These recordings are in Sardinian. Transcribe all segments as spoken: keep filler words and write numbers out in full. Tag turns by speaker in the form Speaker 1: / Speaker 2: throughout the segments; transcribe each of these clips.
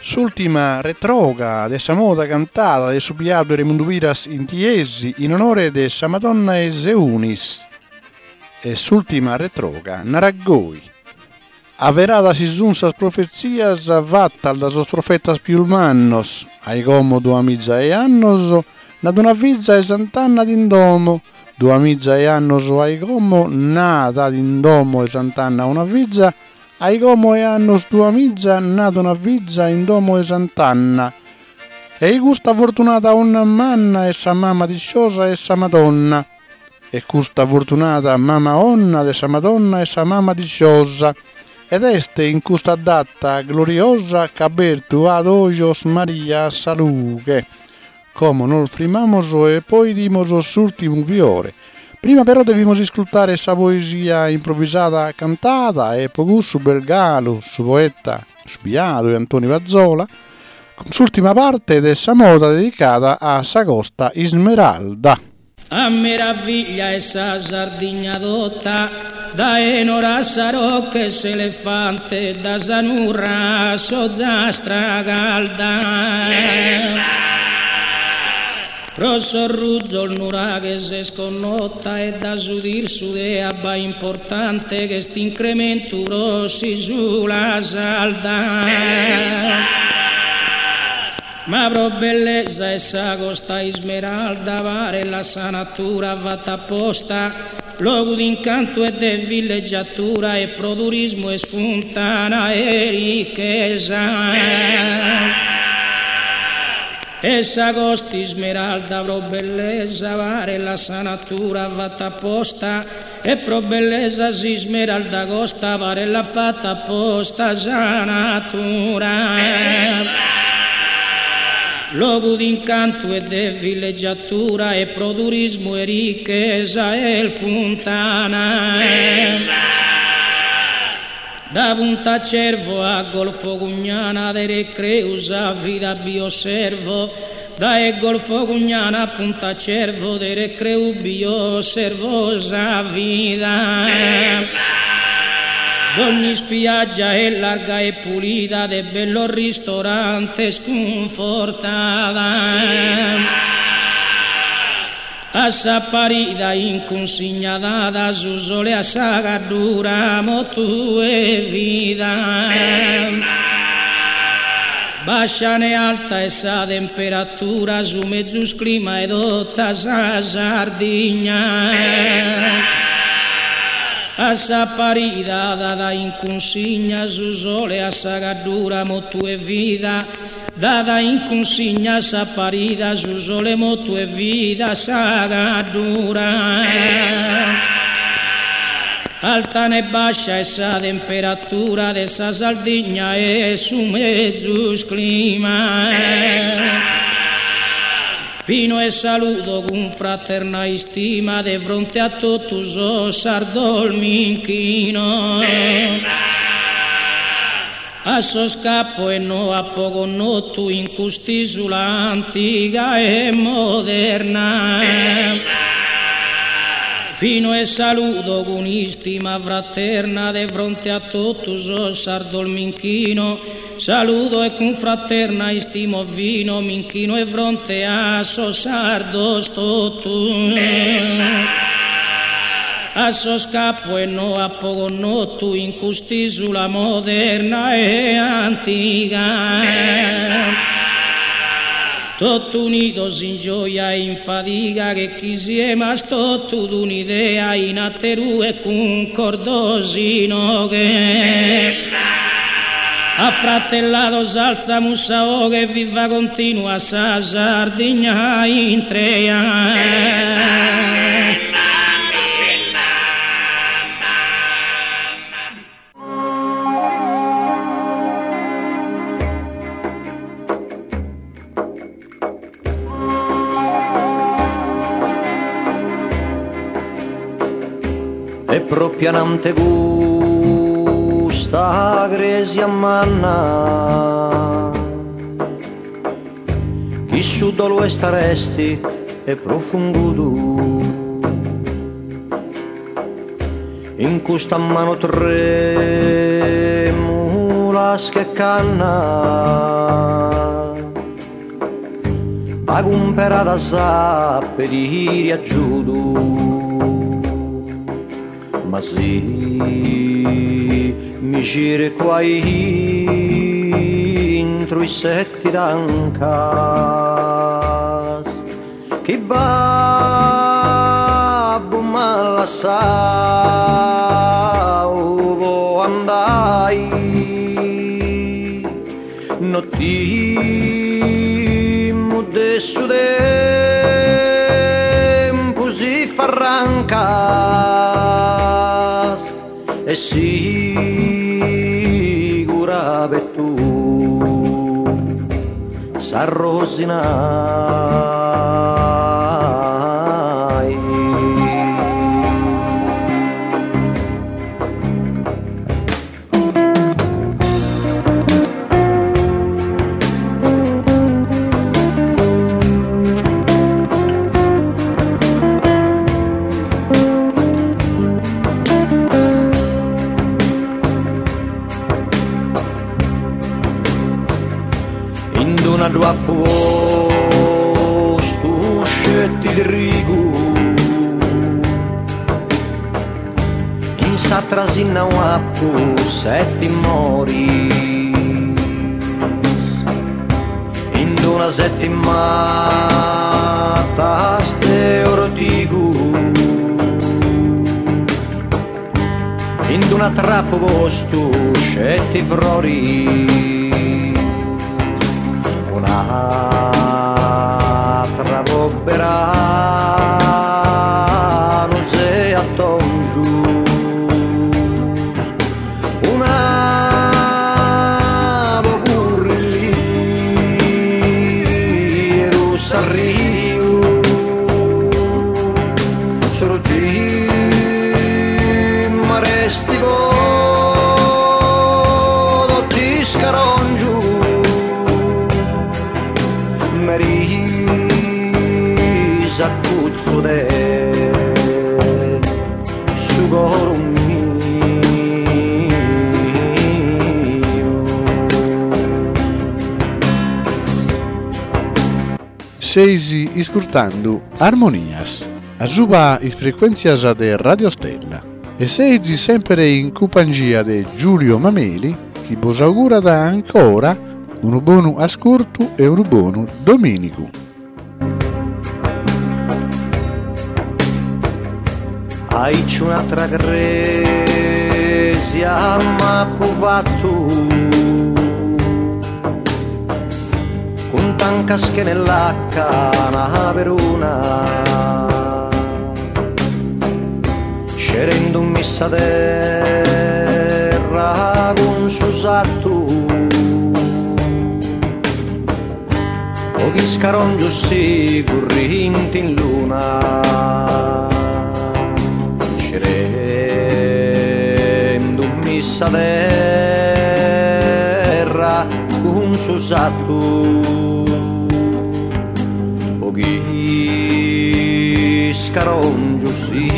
Speaker 1: S'ultima retroga de sa moda cantada de su biadu Remundu Piras in Tiesi in onore de sa Madonna 'e Seunis. E s'ultima retroga narat goi. Avveradas si sun sas profetzias fattas da sos profetas pius mannos, ai como duamiza 'e annos, nat una fiza 'e Sant'Anna in domo, duamiza 'e annos ai como, nat in domo 'e Sant'Anna una fiza, ai como 'e annos duamiza, nat una fiza in domo 'e Sant'Anna. E custa fortunada 'onna manna est sa mama disciosa 'e sa Madonna. E custa fortunada mama 'onna de sa Madonna est sa mama disciosa. Ed est in custa data gloriosa ch'abertu at ojos Maria a sa lughe. Como nos frimmamos e poi 'idimos s'ultimu fiore. Prima però devimos iscultare sa poesia improvvisada cantada e pro cussu b'est galu su poeta su biadu Antoni Pazzola cun s'ultima parte de sa moda dedicada a sa Costa Ismeralda.
Speaker 2: A meraviglia 'e sa Sardigna tota, dae Nora a sa Rocca 'e s'Elefante, da sa Nurra a s'Ozastra calda. Pro sos ruzos nuraghes est connota e da su tirsu de abba importante ch'est incrementu pro s'isula sarda. Ma pro bellesa 'e sa Costa Ismeralda paret sa natura fatta apposta, logu d'incantu e de villeggiatura e pro turismu est funtana 'e ricchesa. E sa Costa Ismeralda pro bellesa paret sa natura fatta apposta e pro bellesa s'Ismeralda Costa paret fatta apposta sa natura. Logu d'incantu e de villeggiatura e pro turismu e ricchesa est funtana. Da Punta Cervo a Golfo Cugnana de recreu sa vida bi osservo, dae Golfo Cugnana a Punta Cervo de recreu bi osservo sa vida. Dogni ispiaggia est larga e pulida de bellos ristorantes cunfortada. A sa parida in cunsigna dada su sole a sa Gaddura motu e vida. Bascia ne alta est sa temperatura, su mezus clima 'e tota sa Sardigna. A sa parida dada in cunsigna su sole a sa Gaddura motu e vida, dada in cunsigna a sa parida su sole motu e vida sa Gaddura. Alta ne bascia est sa temperatura de sa Sardigna est su mezus clima. Fino e saludo cun fraterna istima de fronte a totu sos sardos m'inchino. A sos ch'apo e no apo connotu in cust'isula antiga e moderna. Fino e saludo cun istima fraterna de fronte a totu sos sardos m'inchino. Saludo e cun fraterna istima fino, m'inchino 'e fronte a sos sardos totu. A sos ch'apo e no apo connotu in cust'isula moderna e antiga. Totu unidos in gioia e in fadiga che chi siemas totu d'un'idea in aterue cuncordos inoghe. Affratellados alzamus sa 'oghe viva continua sa Sardigna intrea.
Speaker 3: E propriu anante custa cresia manna chi su dolu est aresti e profungudu in custa manu tremulas che canna. Pagumperada a pedire aggiudu, ma si mi circo a intro i sette tancas che babbo m'ha lasciato andai no timo de su tempo si farrancas e sicura per tu s'arrosinai. In d'una dua posto scetti di rigu in sa trasina un appu sette mori in d'una sette matas de ortigu in d'una trappo posto scetti frori un'altra pobberano se a tongiu una pocurrilli sarriu solo ti maresti vodo ti scarongiu Marisa cuzzo de su coro mio.
Speaker 1: Seisi iscurtando Armonias, a suba is frequenzias de Radio Stella. E seisi sempre in compagnia de Giulio Mameli, chi vos augura da ancora un buon ascolto e un buon domenico.
Speaker 3: Ai c'è un'altra cresia ma povattu con tancas che nella cana per una scerendo missa terra con susattu o chi scarongiu si currinti in luna scerendo missa terra con susattu o chi scarongiu si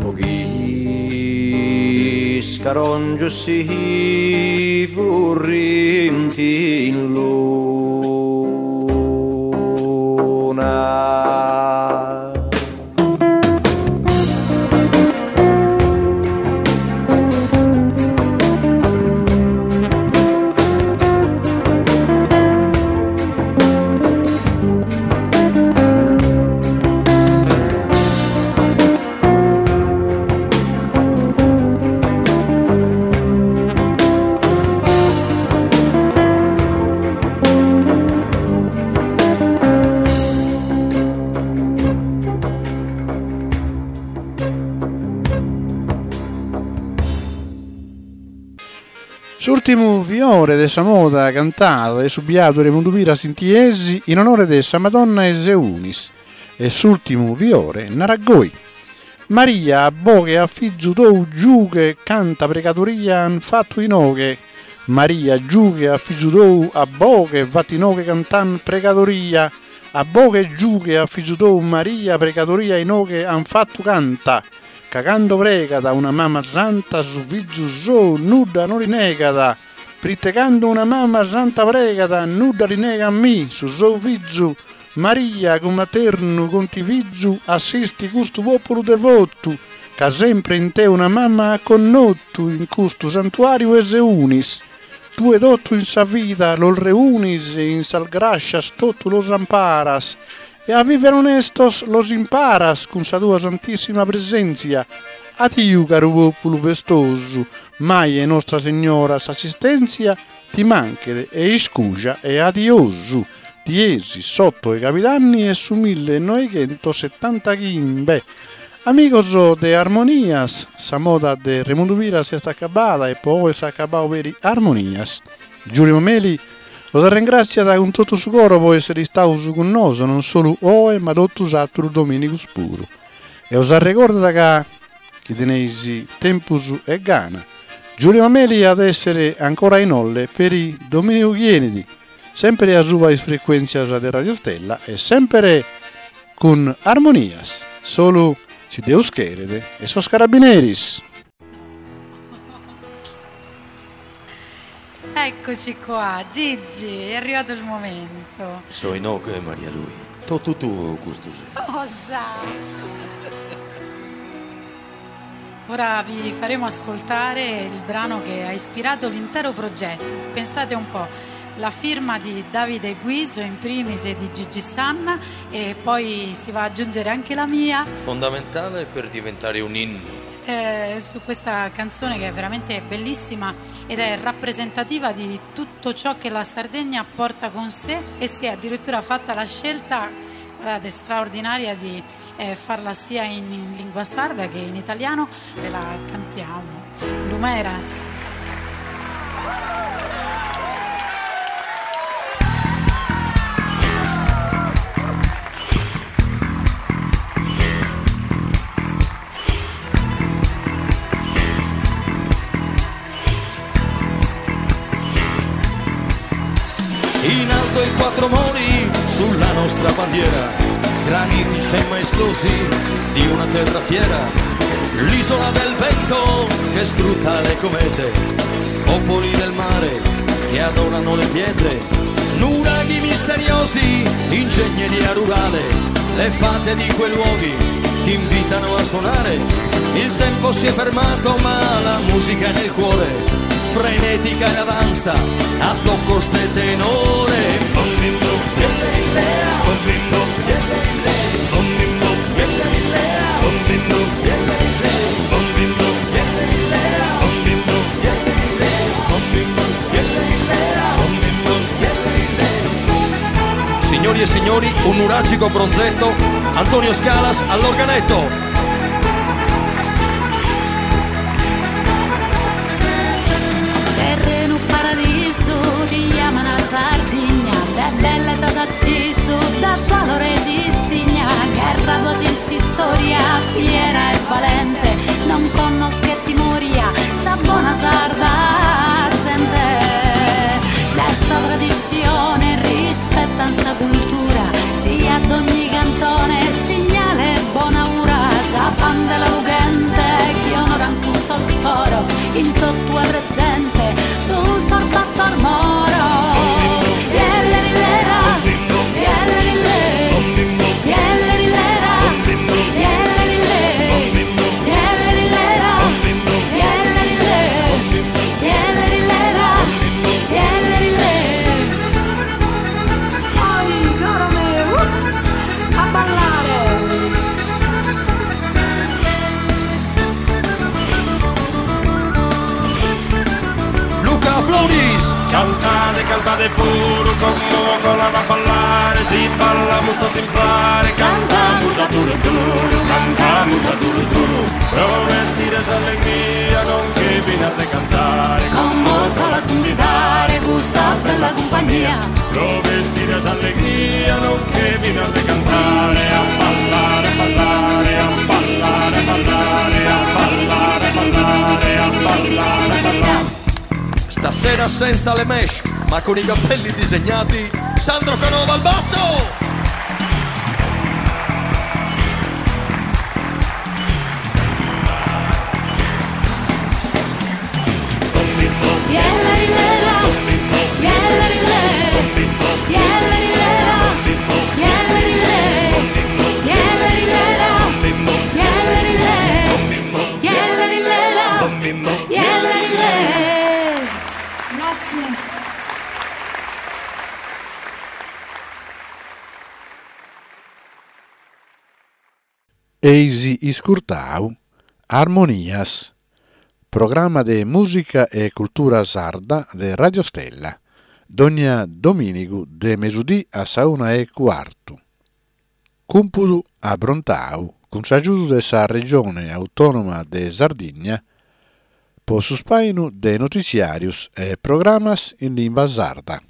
Speaker 3: o chi scarongiu si furrinti in luna.
Speaker 1: L'ultimo fiore dessa moda cantata e subiato Raimondo Piras in Tiesi in onore dessa Madonna Eseunis e s'ultimo fiore Naragoi. Maria a boghe a fizzu tou giughe canta pregatoria han fatto inoghe. Maria giughe a fizzu tou a boghe vatinoghe cantan pregatoria. A boghe giughe a fizzu tou Maria pregatoria inoghe han fatto canta. Cagando prega da una mamma santa su fizzu sou nudda non rinegada. Prite cando una mamma santa pregata, nudda li nega a mi, su suo fizu, Maria con materno contivizzu assisti custu popolo devotu, ca sempre in te una mamma ha connottu in custu santuario 'e Seunis. Tue totu in sa vida los reunis e in sas grascias totu los amparas e a viver onestos los imparas cun sa tua santissima presenzia. Addio, caro popolo festosu, mai e Nostra Signora s'assistenzia ti manchet e iscuja e adiosu. Tiesi, sotto e Capitanni e su millenoichentosettantaghimbe. Amigos de Armonias, sa moda de Remundu Piras est acabada e poi s'est acabadu peri Armonias. Giulio Mameli os ringraziat con tutto su coro po essere istaus con noso, non solo oe ma totus atterus dominicus puru. E os arrecordat ca chi teneis tempus e gana. Giulio Mameli ad essere ancora in olle per i dominico chienidi, sempre a suba is frequenzias de Radio Stella e sempre con Armonias, solo si Deus cheret e sos carabineris.
Speaker 4: Eccoci qua, Gigi, è arrivato il momento.
Speaker 5: So inoghe Maria Lui. Totu tuo custu sero.
Speaker 4: Cosa? Ora vi faremo ascoltare il brano che ha ispirato l'intero progetto. Pensate un po', la firma di Davide Guiso in primis e di Gigi Sanna e poi si va ad aggiungere anche la mia.
Speaker 5: Fondamentale per diventare un inno.
Speaker 4: Eh, su questa canzone che è veramente bellissima ed è rappresentativa di tutto ciò che la Sardegna porta con sé, e si è addirittura fatta la scelta, guardate, straordinaria di eh, farla sia in, in lingua sarda che in italiano. Ve la cantiamo. Lumeras.
Speaker 5: In alto i quattro mori sulla nostra bandiera, granitici e maestosi di una terra fiera, l'isola del vento che scruta le comete, popoli del mare che adorano le pietre, nuraghi misteriosi, ingegneria rurale, le fate di quei luoghi ti invitano a suonare, il tempo si è fermato ma la musica è nel cuore, frenetica e la danza a tocco ste tenore. Bom bim bom, bom bim bom, bom bim bom, bom bim bom, bom bim bom, bom bim bom, bom bim bom, bom bim bom. Signori e signori, un nuragico bronzetto, Antonio Scalas all'organetto.
Speaker 4: Sardigna, de bellezza s'acciso, da valore esistigna, guerra tua si storia, fiera e valente, non conosche timoria, sa buona sarda sente. Dessa tradizione rispetta sta cultura, sia ad ogni cantone segnale buona ura, sa bandela lughente, chi onora in custos foros, in tutto è presente, su sorbattor moro.
Speaker 6: Cantate, cantate puro, como con la a ballare, si ballamos tutti in pare, cantamus a duro duro, cantamus a duro duro, pro vestire allegria con che viene de cantare,
Speaker 4: como con la convidare, gusta bella compagnia,
Speaker 6: pro vestire allegria non che viene de cantare, a ballare, a ballare, a ballare, a ballare, a ballare, a ballare, a ballare, a ballare.
Speaker 5: Stasera senza le mesh, ma con i capelli disegnati, Sandro Canova al basso!
Speaker 4: Yella,
Speaker 6: bimbo.
Speaker 4: Yelele. Grazie.
Speaker 1: Eisi iscurtau Armonias, programma de musica e cultura sarda de Radio Stella, dogna dominigu de mesudì a sa una e cuartu. Cumpudu abrontau cun s'agiudu de sa Regione Autonoma de Sardigna pro su spainu de notiziarios e programmas in limba sarda.